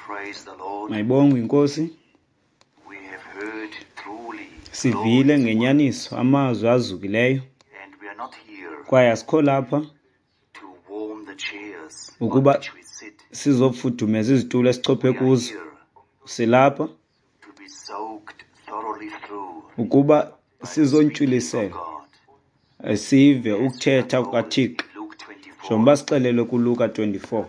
Praise the Lord. Mayibongwe inkosi. We have heard truly Sivile glorious ngenyaniso amazwi azukileyo words, and we are not here kwaye asikho lapha to warm the chairs on ukuba which we sit. sizofudumeza izitulo esichophe We are kuzo. here Silapha to be soaked thoroughly through ukuba by the speaking of sizontyuliselwa God. sive As we are ukuthetha told kukaThixo in Luke 24, njengoba sixelelwe kuLuka 24.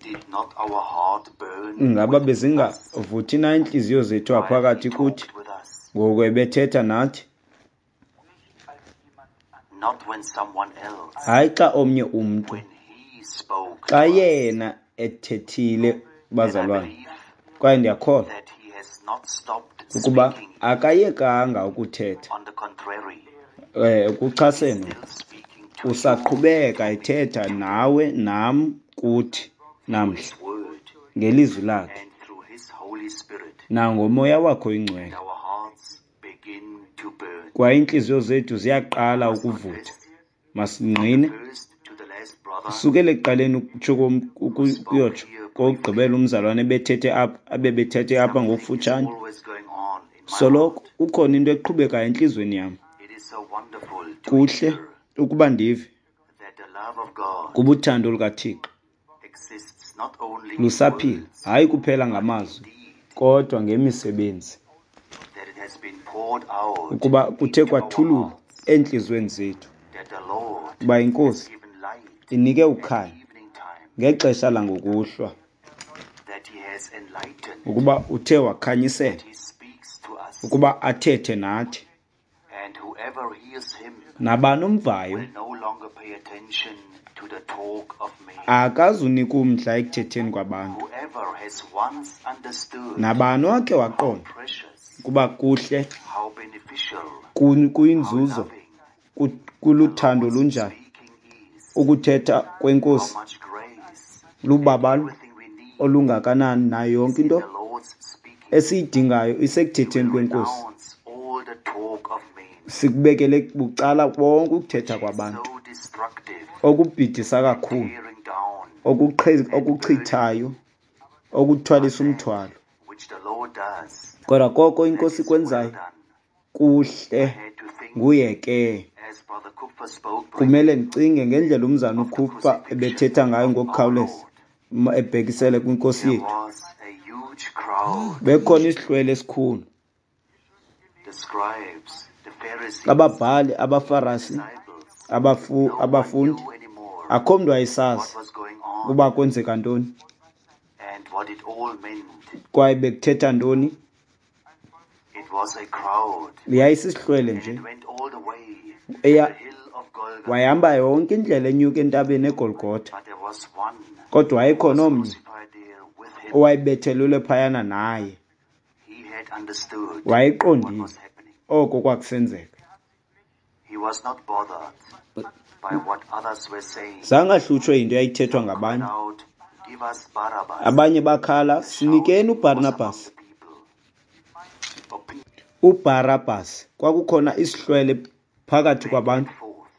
did not our heart burn Ngaba within us bezingavuthi na iintliziyo zethu while he ngaphakathi kuthi talked with us? ngoku ebethetha nathi? Not when someone else, Hayi xa omnye umntu, when he spoke xa to us. yena ethethile And I bazalwane. believe Kwaye ndiyakholwa that he has not stopped ukuba speaking. akayekanga ukuthetha. On the contrary, Eh he is kuchasene still speaking to you usaqhubeka and to me ethetha today nawe nam kuthi through namhla his word ngelizwi lakhe and through his Holy Spirit. nangomoya wakhe And oyingcwele. our hearts begin to burn. Kwaye iintliziyo zethu I ziyaqala must ukuvutha. confess, from the Masingqine first to the last brother kusukela ekuqaleni ukutsho who spoke ukuyotsho here briefly, kokugqibela umzalwane ebethethe apha abebethethe apha something is ngokufutshane. always going on in my Soloko heart. kukhona into eqhubekayo entliziyweni yam. It is so wonderful to Kuhle hear ukuba ndive that the love of God kuba uthando lukaThixo exists not only in lusaphila, words, hayi kuphela but in ngamazwi deed, kodwa ngemisebenzi, that it has been poured out ukuba kuthe into our kwathululwa hearts, eentliziyweni zethu that the Lord uba has inkosi given light inike at ukhanya evening time, ngexesha langokuhlwa, that He has enlightened, ukuba uthe wakhanyisela that He speaks to us, ukuba athethe nathi. and whoever hears Him Nabani omvayo will no longer pay attention to the talk of men. akazunika umdla ekuthetheni kwabantu. Whoever has once understood Nabani wakhe how waqonda precious, ukuba kuhle how beneficial, how kuyinzuzo loving the kuluthando Lord's lunjani speaking is, ukuthetha how kwenkosi, much grace and lubabalo everything we need olungakanani nayo is yonke in into the Lord's speaking. esiyidingayo We isekuthetheni will kwenkosi. renounce all the talk of men, Sikubekele bucala konke which ukuthetha is kwabantu so destructive okubhidisa and kakhulu, tearing down and burdening, okuchithayo, but okuthwalisa that umthwalo. which the Lord does, Kodwa koko that inkosi is well ikwenzayo done. kuhle I had to think, nguye ke. as Brother Kupfer spoke Kumele briefly, ndicinge ngendlela umzana of the uKupfer crucifixion ebethetha ngayo of our ngokukhawuleza Lord. ebhekisele kwinkosi There yethu. was a huge crowd. Bekhona isihlwele esikhulu, The scribes, the Pharisees, ababhali, the abafarasi, disciples, no one abafundi. knew anymore Akho mntu what wayesazi was going on ukuba kwenzeka ntoni and what it all meant. kwaye bekuthetha ntoni. It was a crowd, Yayisisihlwele and nje it went all the way to the eya hill of Golgotha. wayehamba yonke indlela enyuka entabeni eGolgotha, But there was one kodwa who wayekhona was omnye crucified there with him. owayebethelelwe phayana naye. He had understood what Wayeqondile was happening. oko kwakusenzeka. He was not bothered by what others were saying. Zange ahlutshwe yinto eyayithethwa Some cried ngabanye. out, "Give us Barabbas." Abanye bakhala, The sinikeni shouting was among uBarnabas. the people. Opinion uBarabas. Kwakukhona isihlwele phakathi back and kwabantu, forth.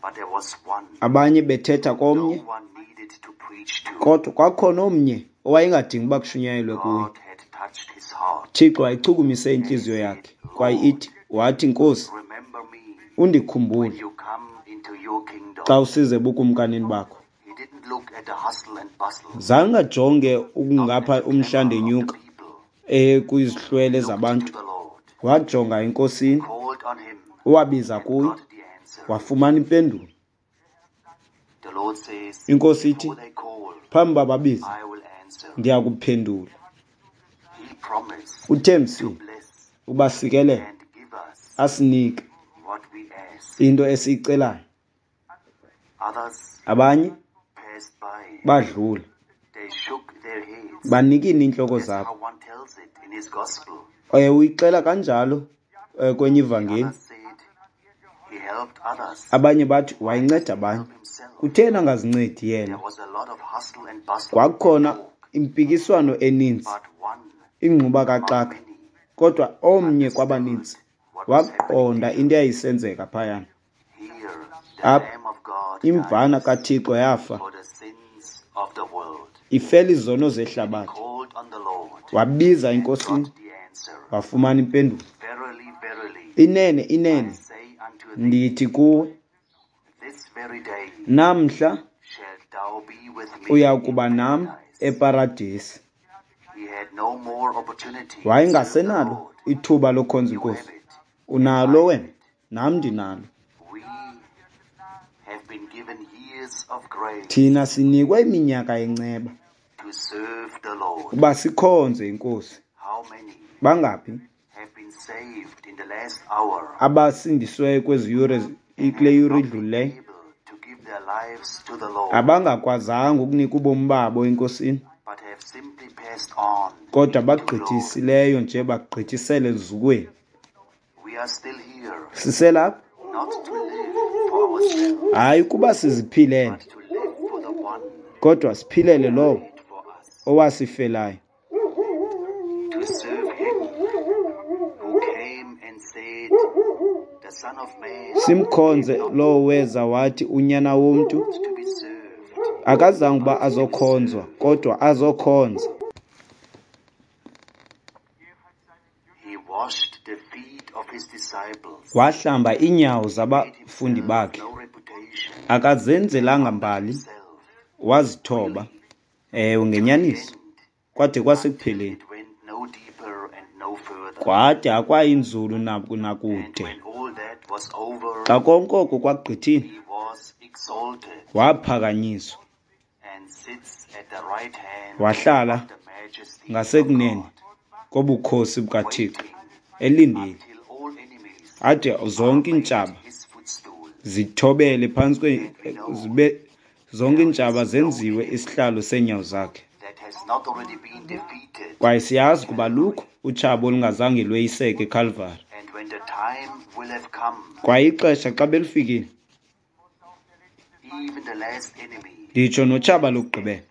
But there was one abanye bethetha no komnye, one needed to preach to. kodwa kwakukhona omnye owayengadingi uba kushunyayelwe kuye. God had touched his heart, Thixo wayichukumise and he intliziyo said, yakhe kwaye "Lord, ithi wathi, Nkosi, remember me when undikhumbule you come into your xa kingdom." usize ebukumkanini bakho. He didn't look at the hustle and bustle, Zange ajonge not at ukungapha the clamor umhla of the ndenyuka people. kwizihlwele He looked to zabantu. the Lord, Wajonga enkosini, called on him, wabiza and kuyo, got the answer. wafumana impendulo. The Lord says, Inkosi ithi, "Before they call, phambi uba babize, I will answer." ndiya kuphendula. He promised to Uthembisile bless ubasikelela and give us asinike what we ask. into esiyicelayo. Others Abanye passed by. badlula, They shook their heads. banikina iintloko That's zabo. how one tells it in his gospel. Uyixela kanjalo kwenye The ivangeli. others said he helped others. Abanye bathi Why wayinceda doesn't he abanye, help himself? kutheni angazincedi There yena? was a lot of hustle and bustle and Kwakukhona talk, impikiswano eninzi, but one ingxuba among kaxaka, many kodwa omnye understood kwabaninzi what was happening waqonda there. into eyayisenzeka phayana. Here, the Apha Lamb of God imvana dies kaThixo yafa for the sins of the world. Ifela izono zehlabathi. Called on the Lord, Wabiza and enkosini, got the answer. wafumana impendulo. Verily, verily, Inene, I inene, say unto thee, ndithi kuwe, this very day namhla shalt thou be with me uya in kuba nam paradise. eparadisi. He had no more opportunity to serve the Wayengasenalo Lord. ithuba lokhonza You inkosi. have it. Unalo wena, nam ndinalo. We have been given years of grace Thina sinikwe iminyaka yenceba to serve the Lord. uba sikhonze inkosi. How many Bangaphi have been saved in the last hour abasindisweyo kwezi yure kule yure not been idlulileyo able to give their lives to the Lord, abangakwazanga ukunika ubomi babo enkosini, but have simply passed on kodwa into glory? bagqithisileyo nje bagqithisele eluzukweni? We are still here, Siselapha not to live for ourselves, hayi ukuba siziphilele, but to live for the one kodwa siphilele lowo who died for us, owasifelayo, to serve him who came and said, The Son of Man simkhonze lowo weza wathi unyana womntu to be served, akazange uba azokhonzwa kodwa azokhonza. He washed the feet of his disciples, Wahlamba iinyawo made zabafundi himself bakhe, no reputation, akazenzelanga mbali, himself wazithoba, ewe ngenyaniso, end kwade kwasekupheleni, it went no deeper and no further. kwade akwayinzulu And nakude. when all that was over, Xa konke oko kwagqithile, he was exalted waphakanyiswa and sits at the right hand wahlala of the majesty of ngasekunene God, kobukhosi bukaThixo, waiting elindile until all enemies ade zonke are made iintshaba his footstool. zithobele phantsi kwe zibe zonke iintshaba zenziwe isihlalo seenyawo zakhe. That has not already been defeated. Kwaye siyazi kuba lukho utshaba olungazange lweyiseke eKalvari. And when the time will have come, Kwaye ixesha xa belifikile, even the last enemy nditsho notshaba lokugqibela will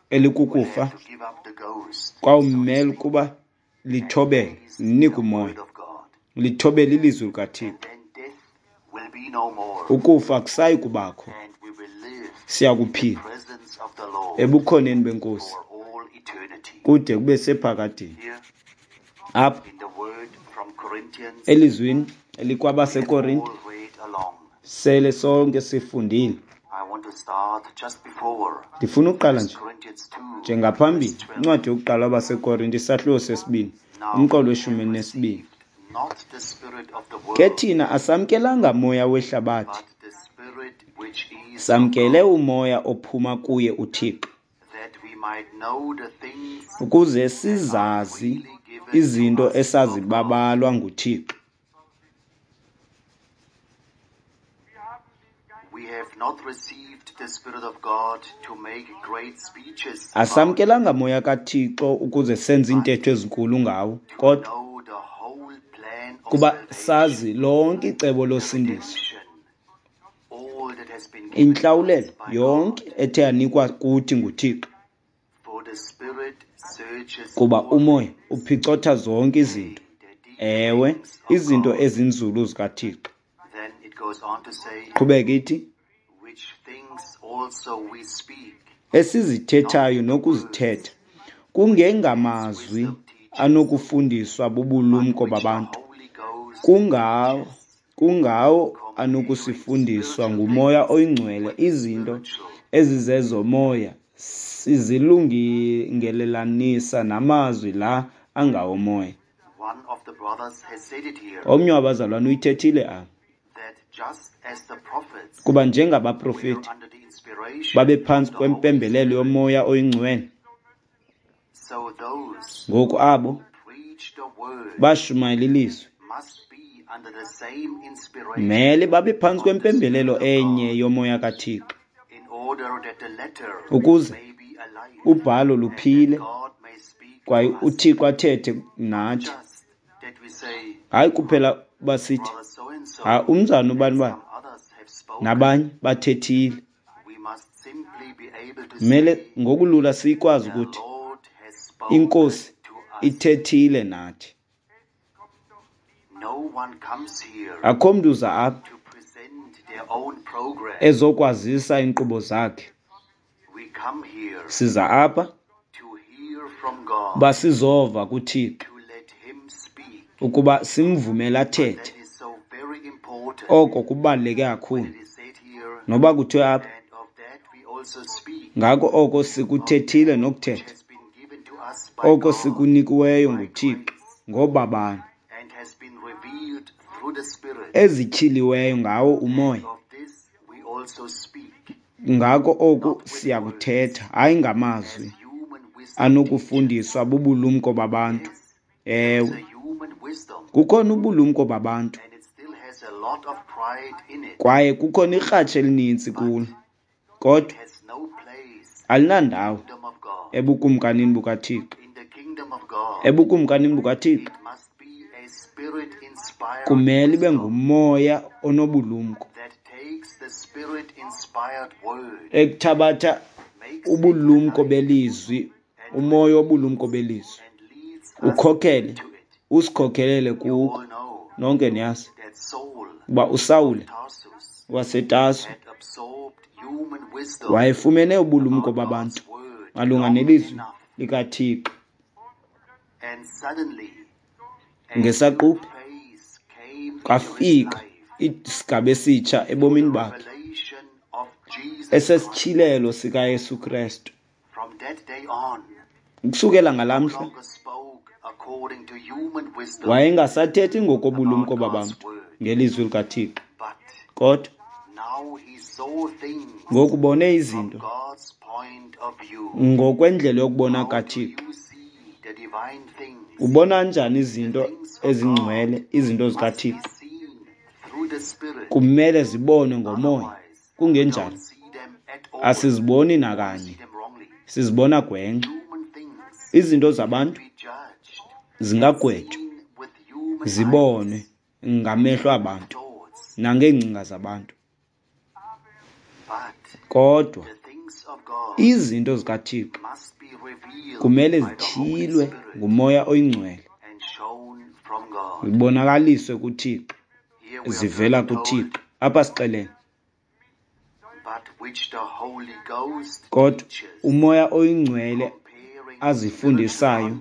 elikukufa have to give up the ghost, kwawumele ukuba lithobele, linike the umoya, word of God. lithobele ilizwi likaThixo. And then death will be no more, Ukufa akusayi kubakho, and we will live siya in the kuphila presence of the Lord ebukhoneni benkosi for all eternity. kude kube sephakadeni. Here Apha in the word from Corinthians, elizwini we have elikwabaseKorinte all read along. sele sonke sifundile. I want to start just before Ndifuna uqala 1 nje Corinthians 2, njengaphambili verse 12. incwadi yokuqala kwabaseKorinte isahluko sesibini Now umqolo we weshumi have elinesibini. received not the spirit of the Ke world, thina asamkelanga moya wehlabathi, but the spirit which is of samkele God, umoya ophuma kuye uThixo, that we might know the things ukuze that are sizazi freely given to izinto us of God. esazibabalwa nguThixo. We have not received the Spirit of God to make great speeches about, Asamkelanga moya kaThixo ukuze senze but iintetho ezinkulu ngawo, to kodwa know the whole plan of kuba salvation, sazi lonke icebo the losindiso, redemption, all that has been given us intlawulelo by God. yonke ethe yanikwa kuthi nguThixo, For the Spirit searches kuba all umoya things, uphicotha zonke yea, izinto, the deep ewe, things of izinto God. ezinzulu zikaThixo. Then it goes on to say, Qhubeka ithi, which things also we speak, esizithethayo not in words nokuzithetha as kungengamazwi wisdom teaches, anokufundiswa but bubulumko which the babantu, Holy Ghost kungawo teaches, kungawo comparing anokusifundiswa spiritual ngumoya things oyingcwele with izinto spiritual. ezizezomoya sizilungelelanisa namazwi la angawomoya. One of the brothers has said it here Omnye wabazalwane uyithethile apha, that just as the prophets kuba were njengabaprofeti under the inspiration babephantsi of the Holy kwempembelelo Spirit, yomoya oyingcwele, so those ngoku abo who preach the word bashumayela ilizwi must be under the same inspiration mele babe phantsi of the kwempembelelo Spirit of enye God, yomoya kaThixo, in order that the letter ukuze may be alive ubhalo and that luphile God may speak to kwaye us. uThixo athethe Not nathi. just that we say, Hayi kuphela uba sithi Brother so and ha so umzana and ubani bani some others have spoken. nabanye bathethile. We must simply be able to Mele say, ngokulula sikwazi The ukuthi Lord has spoken inkosi to us. ithethile nathi. No one comes here Akho mntu uza apha to present their own program. ezokwazisa iinkqubo zakhe. We Siza apha uba sizova kuThixo, ukuba simvumele athethe. Oko kubaluleke kakhulu. Noba kuthiwe apha, ngako oko sikuthethile nokuthetha, oko sikunikiweyo nguThixo ngobabalo, ezityhiliweyo ngawo uMoya. Ngako oku siyakuthetha, hayi ngamazwi anokufundiswa bubulumko babantu. Ewe, kukhona ubulumko babantu kwaye kukhona ikratshi elininzi kulo, kodwa alinandawo ebukumkanini bukaThixo. Ebukumkanini bukaThixo kumele ibe ngumoya onobulumko ekuthabatha ubulumko belizwi, umoya wobulumko belizwi, ukhokhele, usikhokhelele kuko. Nonke niyazi uba uSawule waseTarso wayefumene ubulumko babantu malunga nelizwi likaThixo. Ngesaquphe kwafika isigaba esitsha ebomini bakhe, esesityhilelo sikaYesu Krestu. Ukusukela ngalaa mhla wayengasathethi ngokobulumko babantu ngelizwi likaThixo, kodwa ngoku ubone izinto ngokwendlela yokubona kaThixo. Ubona njani izinto ezingcwele, izinto zikaThixo? Kumele zibonwe ngomoya, kungenjalo asiziboni nakanye, sizibona gwenxa. Izinto zabantu zingagwetywa, zibonwe ngamehlo abantu nangeengcinga zabantu, kodwa izinto zikaThixo kumele zityhilwe nguMoya oyiNgcwele, zibonakaliswe kuThixo, zivela kuThixo. Apha sixelele, kodwa uMoya oyiNgcwele azifundisayo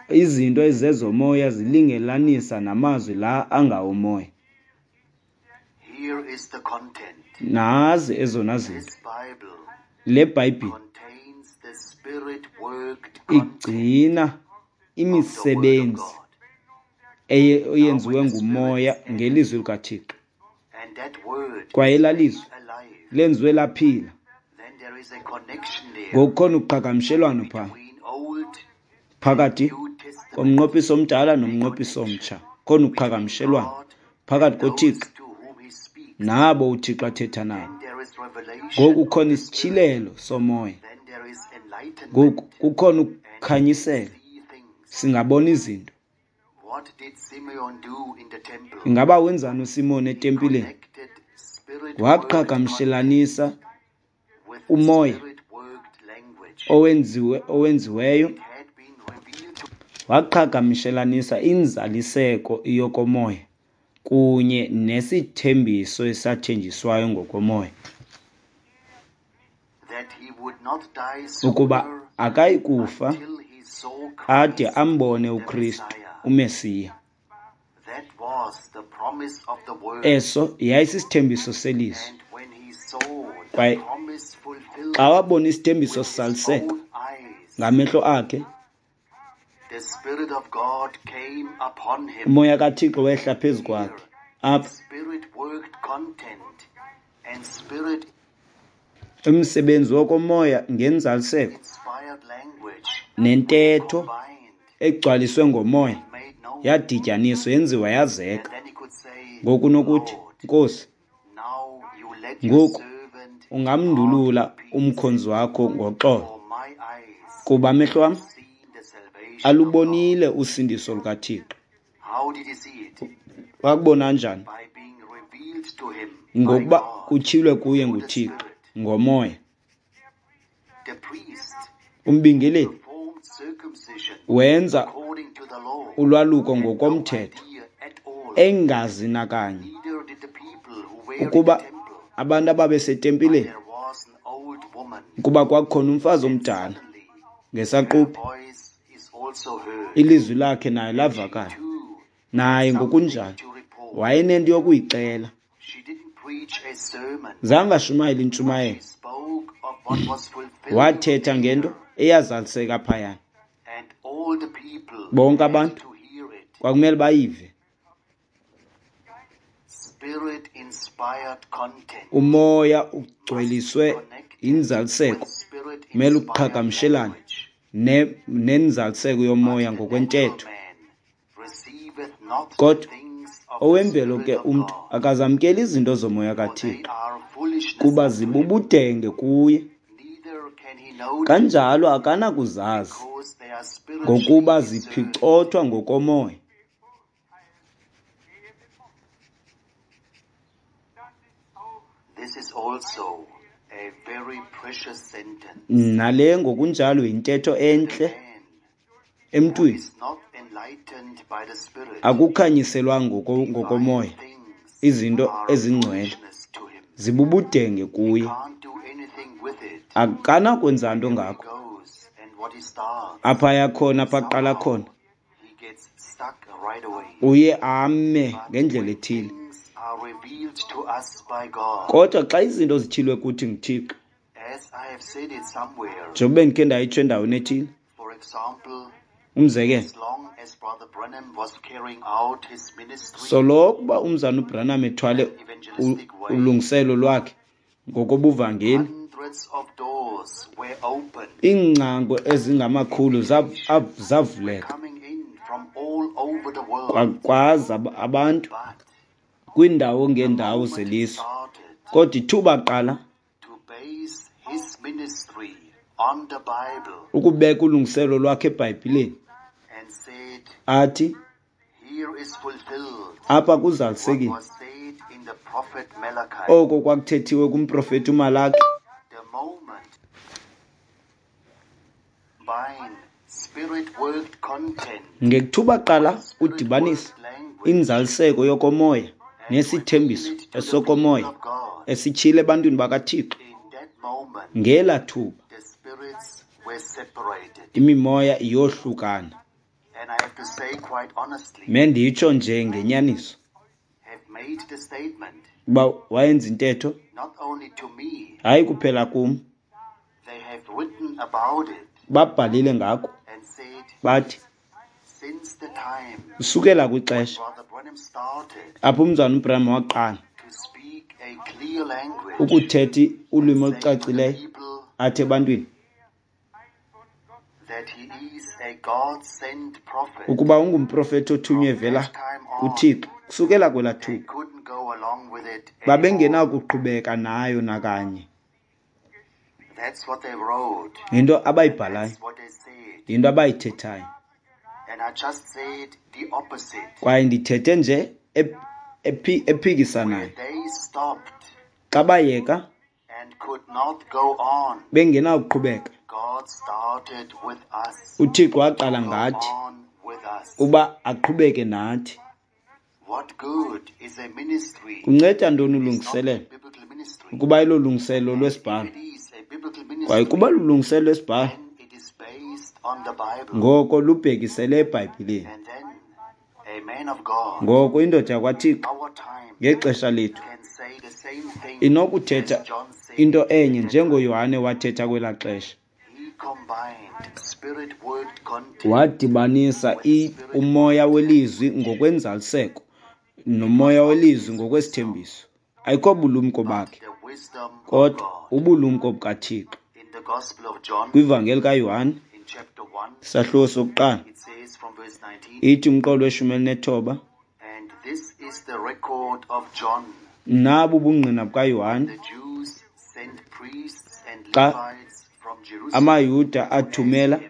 izinto ezezomoya zilingelanisa namazwi la angawomoya. Nazi ezona zinto. Le Bhayibhile igcina imisebenzi eyenziwe ngumoya ngelizwi likaThixo, kwaye elaa lizwi lenziwe laphila. Ngokukhona uqhagamshelwano phaa phakathi komnqophiso omdala nomnqophiso omtsha, khona uqhagamshelwano phakathi koThixo nabo uThixo athetha nabo. Ngoku kukhona isityhilelo somoya, ngoku kukhona ukukhanyisela, singabona izinto. Ingaba wenzani uSimon etempileni? Waqhagamshelanisa umoya owenziweyo, waqhagamshelanisa inzaliseko yokomoya kunye nesithembiso esathenjiswayo ngokomoya, ukuba akayi kufa ade ambone uKristu uMesiya. Eso yayisisithembiso selizwi. Kwaye xa wabona isithembiso sisaliseka ngamehlo akhe, uMoya kaThixo wehla phezu kwakhe. Apha umsebenzi wokomoya ngenzaliseko nentetho egcwaliswe ngomoya yadityaniswa, yenziwa yazeka. Ngoku unokuthi, Nkosi, ngoku ungamndulula umkhonzi wakho ngoxolo, kuba amehlo am alubonile usindiso lukaThixo. Wakubona njani? Ngokuba kutyhilwe kuye nguThixo ngomoya. Umbingeleli wenza ulwaluko ngokomthetho, engazi nakanye ukuba Abantu ababesetempileni, kuba kwakukhona umfazi omdala ngesaquphe, ilizwi lakhe naye lavakala. Naye ngokunjalo wayenento yokuyixela. Zange ashumayele intshumayelo, wathetha ngento eyazaliseka phayana. Bonke abantu kwakumele bayive. Umoya ugcweliswe yinzaliseko, kumele uqhagamshelane nenzaliseko yomoya ngokwentetho. Kodwa owemvelo ke umntu akazamkeli izinto zomoya kaThixo, kuba zibubudenge kuye. Kanjalo akanakuzazi, ngokuba ziphicothwa ngokomoya. Nale ngokunjalo yintetho entle emntwini. Akukhanyiselwanga ngokomoya izinto ezingcwele, zibubudenge kuye. Akanakwenza nto ngako. Apha aya khona, apha aqala khona, uye ame ngendlela ethile. Kodwa xa izinto zityhilwe kuthi nguThixo, njengoba bendikhe ndayitsho endaweni ethile, umzekelo, soloko uba umzana uBranham ethwale ulungiselo lwakhe ngokobuvangeli, iingcango ezingamakhulu zavuleka, kwaza abantu kwiindawo ngeendawo zelizwe. Kodwa ithuba qala ukubeka ulungiselo lwakhe eBhayibhileni, athi apha kuzalisekile oko kwakuthethiwe kumprofeti uMalaki. Ngethuba qala udibanisa inzaliseko yokomoya nesithembiso esokomoya esityhile ebantwini bakaThixo, ngela thuba imimoya iyohlukana. Menditsho nje ngenyaniso uba wayenza intetho, hayi kuphela kum, babhalile ngako, bathi usukela kwixesha apho umzana uBranham waqala ukuthetha ulwimi olucacileyo athi ebantwini ukuba ungumprofeti othunywe evela kuThixo, kusukela kwelaa thuba babengenakuqhubeka nayo nakanye. Yinto abayibhalayo, yinto abayithethayo. Kwaye ndithethe nje ephikisanayo. Xa bayeka bengenakuqhubeka, uThixo waqala ngathi uba aqhubeke nathi. Kunceda ntoni ulungiselelo ukuba ilo lungiselelo lwesibhalo? Kwaye kuba lulungiselelo lwesibhalo, ngoko lubhekisele eBhayibhileni. Ngoko indoda yakwaThixo ngexesha lethu inokuthetha into enye njengoYohane wathetha kwelaa xesha. Wadibanisa umoya welizwi ngokwenzaliseko nomoya welizwi ngokwesithembiso. Ayikho bulumko bakhe, kodwa ubulumko bukaThixo. Kwivangeli kaYohane isahluko sokuqala ithi umqolo we-19, nabu ubungqina bukaYohane xa amaYuda athumela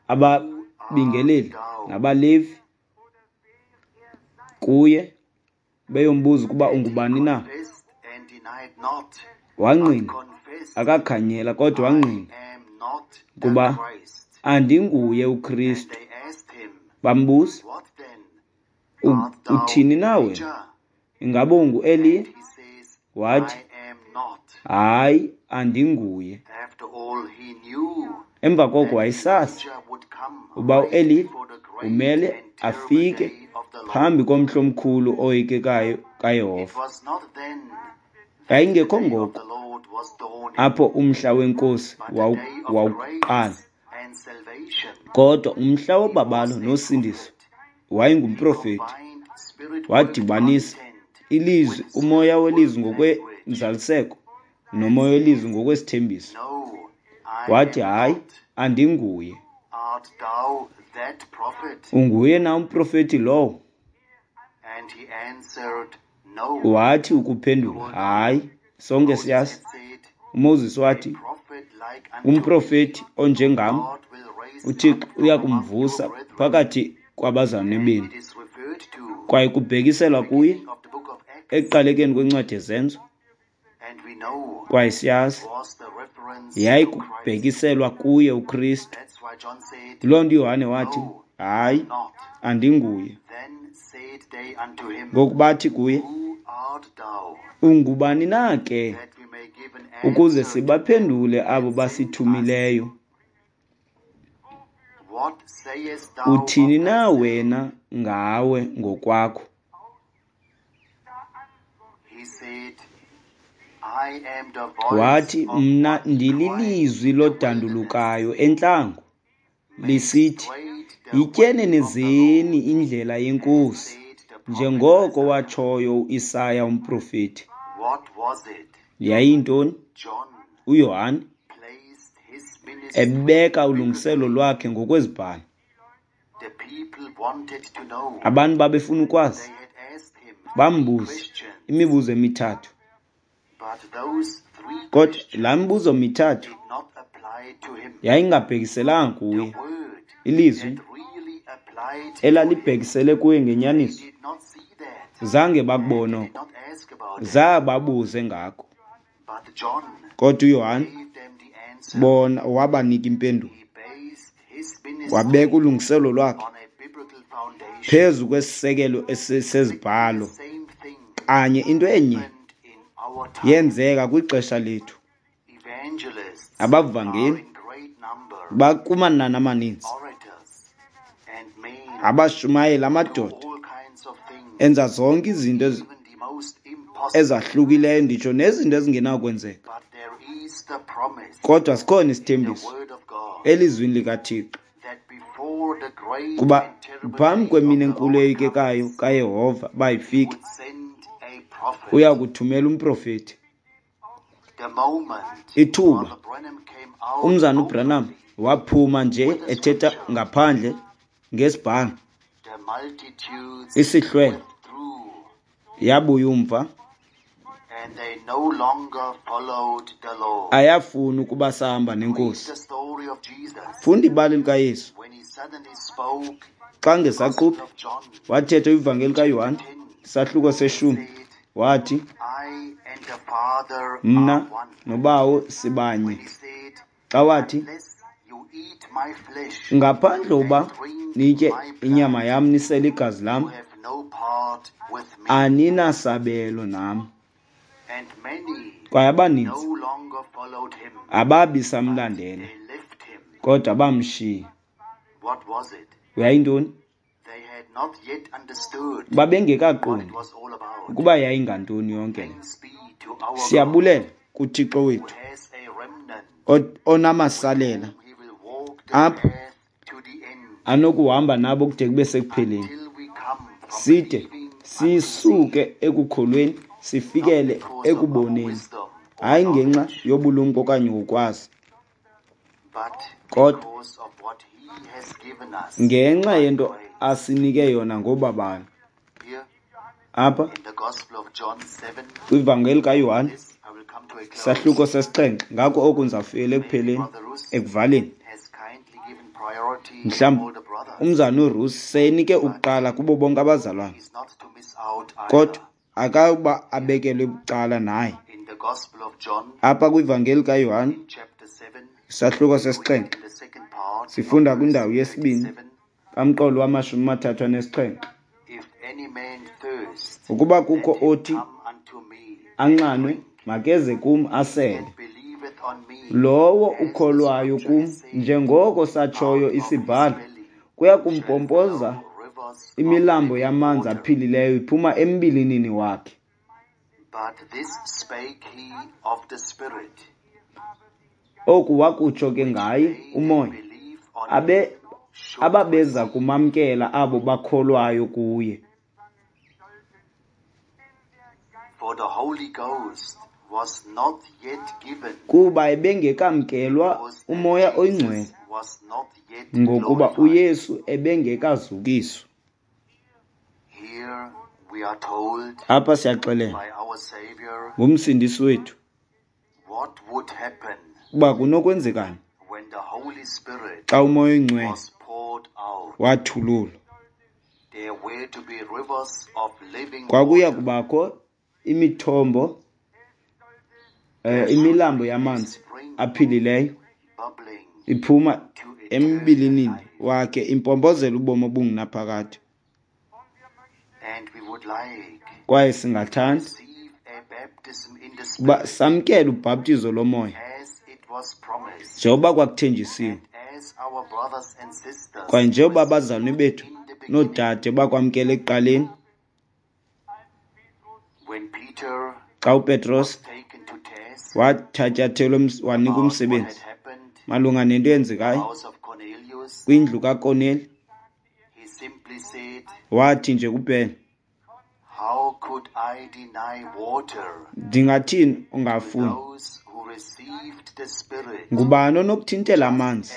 ababingeleli nabaLevi kuye beyombuza ukuba ungubani na. Wangqina, akakhanyela, kodwa wangqina kuba andinguye uKristu. Bambuza, uthini na wena? Ingaba unguEliya? Wathi, hayi, andinguye. Emva koko wayesazi uba uEliya umele afike phambi komhla omkhulu oyikekayo kaYehova. Yayingekho ngoko apho umhla weNkosi wawuqala, kodwa umhla wobabalo nosindiso. Wayengumprofeti, wadibanisa ilizwi, umoya welizwi ngokwenzaliseko nomoya welizwi ngokwesithembiso. Wathi, hayi, andinguye. Unguye na umprofeti lowo? Wathi ukuphendula, hayi. Sonke siyazi. uMoses wathi, umprofeti onjengam uThixo uya kumvusa phakathi kwabazalwane benu. Kwaye kubhekiselwa kuye ekuqalekeni kwencwadi yeZenzo. Kwaye siyazi yayikubhekiselwa kuye uKristu. Loo nto uYohane wathi, hayi, andinguye. Ngoku bathi kuye, ungubani na ke, ukuze sibaphendule abo basithumileyo? Uthini na wena ngawe ngokwakho? Wathi, mna ndililizwi lodandulukayo entlango, lisithi, yityenenezeni indlela yeNkosi, njengoko watshoyo uIsaya umprofeti. Yayintoni? uYohane ebeka ulungiselo lwakhe ngokwezibhalo. Abantu babefuna ukwazi, bambuza imibuzo emithathu. Kodwa laa mibuzo mithathu yayingabhekiselanga kuye. Ilizwi elalibhekisele kuye ngenyaniso, zange bakubone oko, zababuze ngako. Kodwa uYohane bona wabanika impendulo, wabeka ulungiselo lwakhe phezu kwesisekelo sezibhalo. Kanye into enye yenzeka kwixesha lethu. Abavangeli bakumanani amaninzi, abashumayeli, amadoda enza zonke izinto ezahlukileyo, nditsho nezinto ezingenakwenzeka. Kodwa sikhona isithembiso elizwini likaThixo, kuba phambi kwemini enkulu eyikekayo kaYehova bayifike, uya kuthumela umprofeti. Ithuba umzana uBranham waphuma nje ethetha ngaphandle ngesibhalo, isihlwele yabuya umva, ayafuna ukuba sahamba nenkosi. Funda ibali likaYesu xa ngesaquphe wathetha ivangeli kaYohane isahluko seshumi, wathi, mna noBawo sibanye. Xa wathi, ngaphandle uba nitye inyama yam nisele igazi lam, aninasabelo nam. Kwaye abaninzi ababi samlandela, kodwa bamshiya. Yayintoni? Babengekaqondi ukuba yayingantoni yonke le. Siyabulela kuThixo wethu onamasalela apho anokuhamba nabo kude kube sekupheleni, side sisuke ekukholweni sifikele ekuboneni, hayi ngenxa yobulumko okanye ngokwazi, kodwa ngenxa yento asinike yona ngobabalo. Apha kwivangeli kaYohane sahluko sesixhenxe, ngako oku ndizawufikela ekupheleni, ekuvaleni. Mhlawumbi umzana uRusi seyenike ukuqala kubo bonke abazalwane, kodwa akauba abekelwe bucala naye. Apha kwivangeli kaYohane isahluko sesixhenxe, sifunda kwindawo yesibini kamqolo wama-37. Ukuba kukho othi anxanwe, makeze kum asele. Lowo ukholwayo kum, njengoko satshoyo isibhalo, kuya kumpompoza imilambo yamanzi aphilileyo iphuma embilinini wakhe. Oku wakutsho ke ngaye uMoya, ababeza kumamkela abo bakholwayo kuye. Kuba ebengekamkelwa uMoya oyiNgcwele, ngokuba uYesu ebengekazukiswa. Apha siyaxelelwa nguMsindisi wethu ukuba kunokwenzekani xa uMoya oyiNgcwele wathululwa. Kwakuya kubakho imithombo, imilambo yamanzi aphilileyo iphuma embilinini wakhe, impompozela ubomi obungunaphakade. Kwaye singathanda uba samkele ubhaptizo lomoya njengoba kwakuthenjisiwe, kwaye njengoba abazalwane bethu noodade bakwamkela ekuqaleni. Xa uPetros wathatyathelwa wanikwa umsebenzi malunga nento eyenzekayo kwindlu kaKorneli, wathi nje kuphela, ndingathini ungafuni? Ngubani onokuthintela amanzi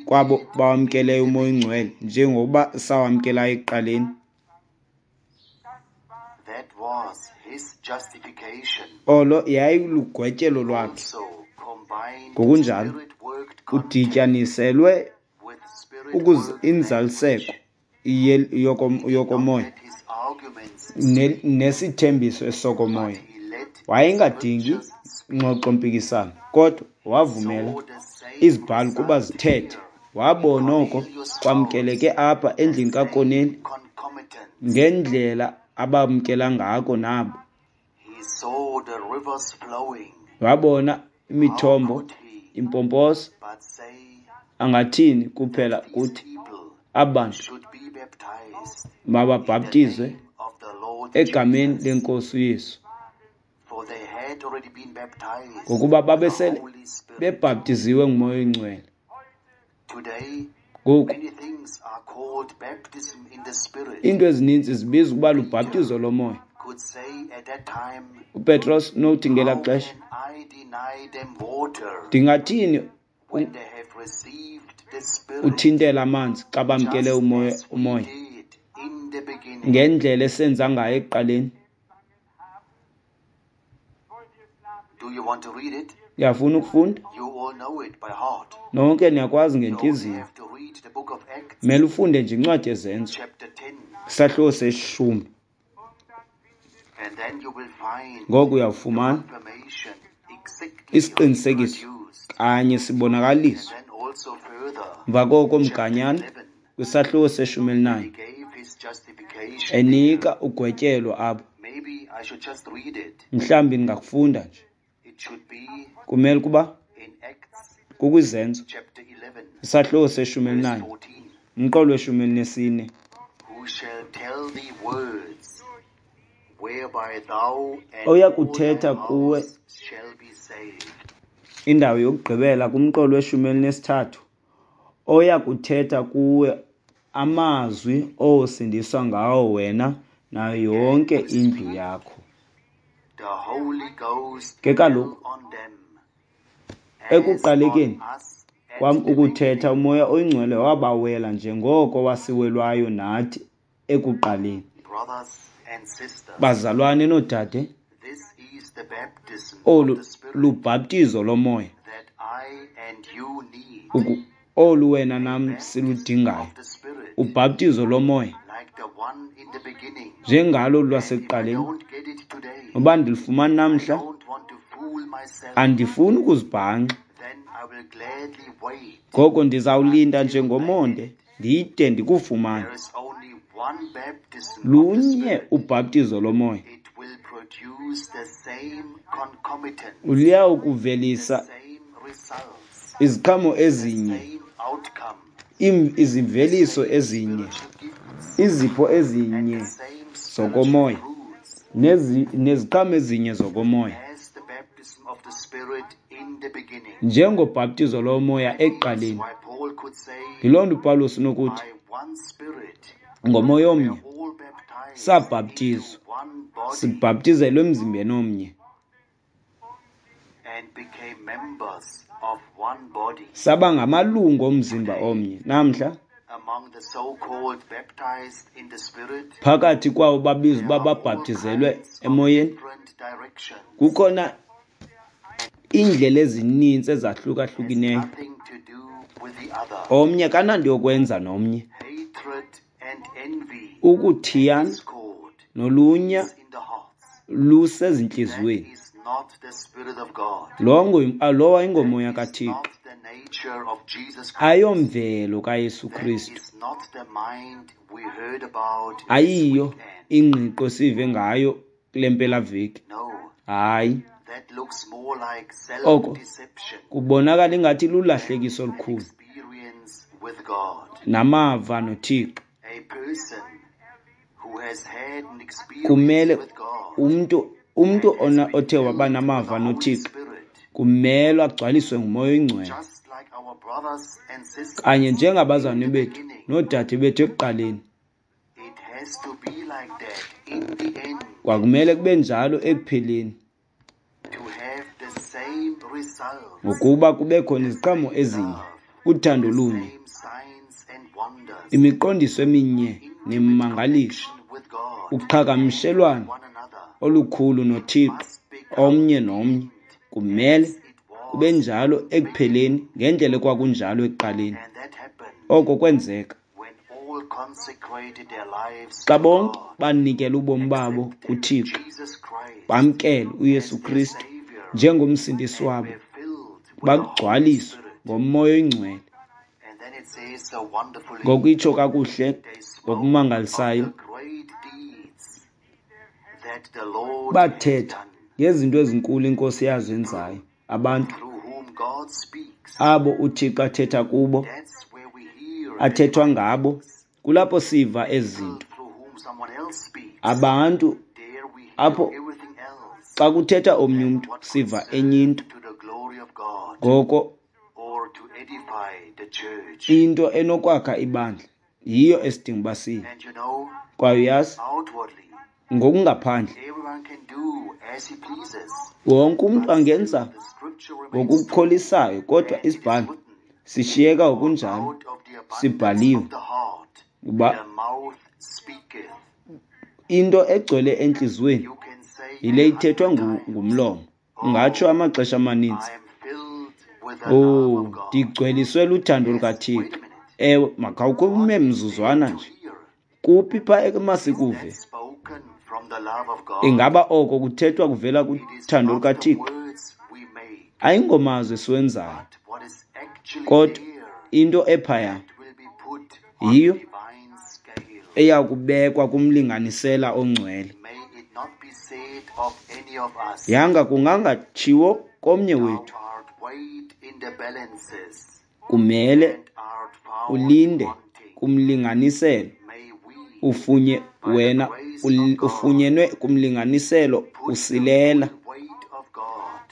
kwabo bawamkeleyo uMoya oyiNgcwele njengokuba sawamkelayo ekuqaleni? Olo yayilugwetyelo lwakhe. Ngokunjalo udityaniselwe inzaliseko yokomoya nesithembiso esokomoya. Wayengadingi ngxoxo-mpikisano, kodwa wavumela izibhalo kuba zithethe. Wabona oko kwamkeleke apha endlini kaKorneli ngendlela abamkela ngako nabo. Wabona imithombo impompoza. Angathini kuphela kuthi abantu mababhaptizwe egameni leNkosi uYesu, ngokuba babesele bebhaptiziwe nguMoya oyiNgcwele. Ngoku iinto ezininzi zibizwa ukuba lubhaptizo lomoya. uPetros nothi ngelaa xesha, ndingathini uthintela amanzi xa bamkele umoya ngendlela esenza ngayo ekuqaleni? Uyafuna ukufunda? Nonke niyakwazi ngentliziyo. Mele ufunde nje incwadi yeZenzo, isahluko seshumi. Ngoku uyawufumana isiqinisekiso kanye sibonakaliswa. Emva koko mganyana kwisahluko se-14 enika ugwetyelo apho. Mhlawumbi ndingakufunda nje. Kumele kuba kukwiZenzo isahluko se-14 umqolo we-14. Oya kuthetha kuwe indawo yokugqibela kumqolo we-13, oya kuthetha kuwe amazwi osindiswa ngawo wena nayo yonke indlu yakho. Ke kaloku ekuqalekeni kwam ukuthetha, uMoya oyiNgcwele wabawela njengoko wasiwelwayo nathi ekuqaleni. Bazalwane noodade, olu lubhaptizo lomoya olu wena nam siludingayo, ubhaptizo lomoya njengalo lwasekuqaleni. Uba ndilifumana namhla, andifuni ukuzibhanxa. Ngoko ndizawulinda njengomonde ndide ndikufumane. Lunye ubhaptizo lomoya. Luyawukuvelisa iziqhamo ezinye, izimveliso ezinye, izipho ezinye zokomoya, neziqhamo ezinye zokomoya, njengobhaptizo lomoya ekuqaleni. Yiloo nto uPawulos unokuthi, ngomoya omnye sabhaptizwa, sibhaptizelwe emzimbeni omnye, saba ngamalungu omzimba omnye. Namhla phakathi kwawo babizwa uba babhaptizelwe emoyeni, kukhona iindlela ezininzi ezahlukahlukeneyo. Omnye kananto yokwenza nomnye. Ukuthiyana nolunya lusezintliziyweni. Lowo ayingomoya kaThixo, ayomvelo kaYesu Kristu, ayiyo ingqiqo esive ngayo kule mpelaveki. Hayi, oko kubonakala ingathi lulahlekiso olukhulu namava noThixo. Kumele umntu othe waba namava noThixo kumele agcwaliswe nguMoya oyiNgcwele, kanye njengabazalwane bethu noodade bethu ekuqaleni. Kwakumele kube njalo ekupheleni, ngokuba kube khona iziqhamo ezinye, uthando olunye, imiqondiso eminye nemimangaliso, uqhagamshelwano olukhulu noThixo omnye nomnye. Kumele kube njalo ekupheleni ngendlela ekwakunjalo ekuqaleni. Oko kwenzeka xa bonke banikela ubomi babo kuThixo, bamkele uYesu Kristu njengomsindisi wabo, bagcwaliswe ngoMoya oyiNgcwele. Ngoku itsho kakuhle ngokumangalisayo, bathetha ngezinto ezinkulu iNkosi yazenzayo abantu abo uThixo athetha kubo, athethwa ngabo. Kulapho siva ezi zinto. Abantu apho xa kuthetha omnye umntu siva enye into. Ngoko into enokwakha ibandla yiyo esidinga uba siye. Kwaye uyazi, ngokungaphandle wonke umntu angenza ngokukholisayo, kodwa isibhalo sishiyeka ngokunjalo sibhaliwe uba into egcwele entliziyweni yile ithethwa ngumlomo. Ungatsho amaxesha amaninzi, oh, ndigcweliswe luthando lukaThixo. Ewe, makhawukhe mzuzwana nje. Kuphi pha emasikuve? Ingaba oko kuthethwa kuvela kuthando lukaThixo? Ayingomazwi esiwenzayo, kodwa into ephaya yiyo eya kubekwa kumlinganisela ongcwele. Yanga kungangatshiwo komnye wethu, kumele ulinde kumlinganiselo wena ufunyenwe kumlinganiselo usilela.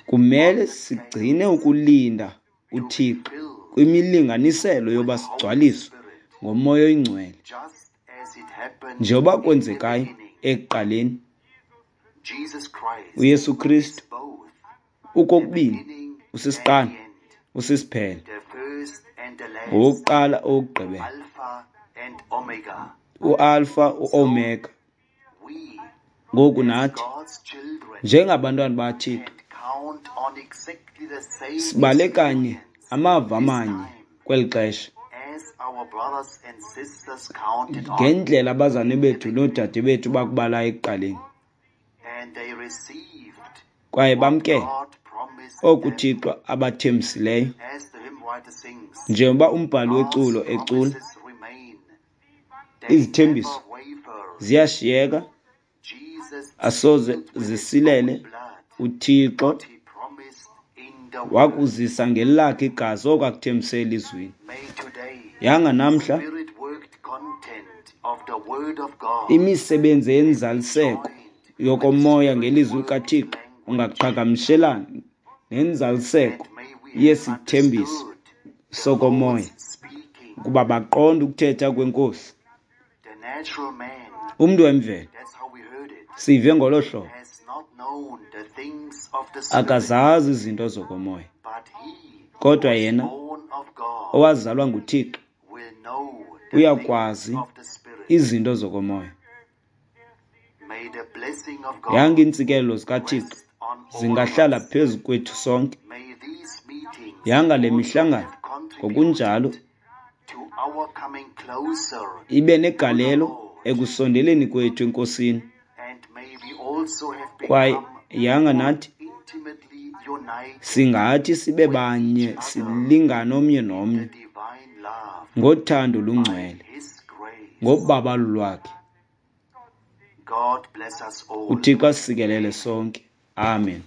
Kumele sigcine ukulinda uThixo kwimilinganiselo yoba sigcwaliswe ngoMoya oyiNgcwele, njengoba kwenzekayo ekuqaleni. uYesu Kristu ukokubini usisiqalo, usisiphelo, owokuqala, owokugqibela, uAlpha, uOmega. Ngoku nathi njengabantwana baThixo sibale kanye amava amanye kweli xesha ngendlela abazalwane bethu noodade bethu bakubalayo ekuqaleni, kwaye bamkele oku uThixo abathembisileyo. Njengoba umbhali weculo ecula, izithembiso ziyashiyeka. Asoze zisilele. UThixo wakuzisa ngelakhe igazi oko akuthembise elizwini. Yanga namhla imisebenzi yenzaliseko yokomoya ngelizwi likaThixo ungaqhagamshelana nenzaliseko yesithembiso sokomoya, ukuba baqonde ukuthetha kweNkosi. Umntu wemvelo, sive ngolo hlobo, akazazi izinto zokomoya, kodwa yena owazalwa nguThixo uyakwazi izinto zokomoya. Yanga iintsikelelo zikaThixo zingahlala phezu kwethu sonke. Yanga le mihlangano ngokunjalo ibe negalelo ekusondeleni kwethu eNkosini, kwaye yanga nathi singathi sibe banye, silingane omnye nomnye ngothando olungcwele, ngobabalo lwakhe. UThixo asikelele sonke. Amen.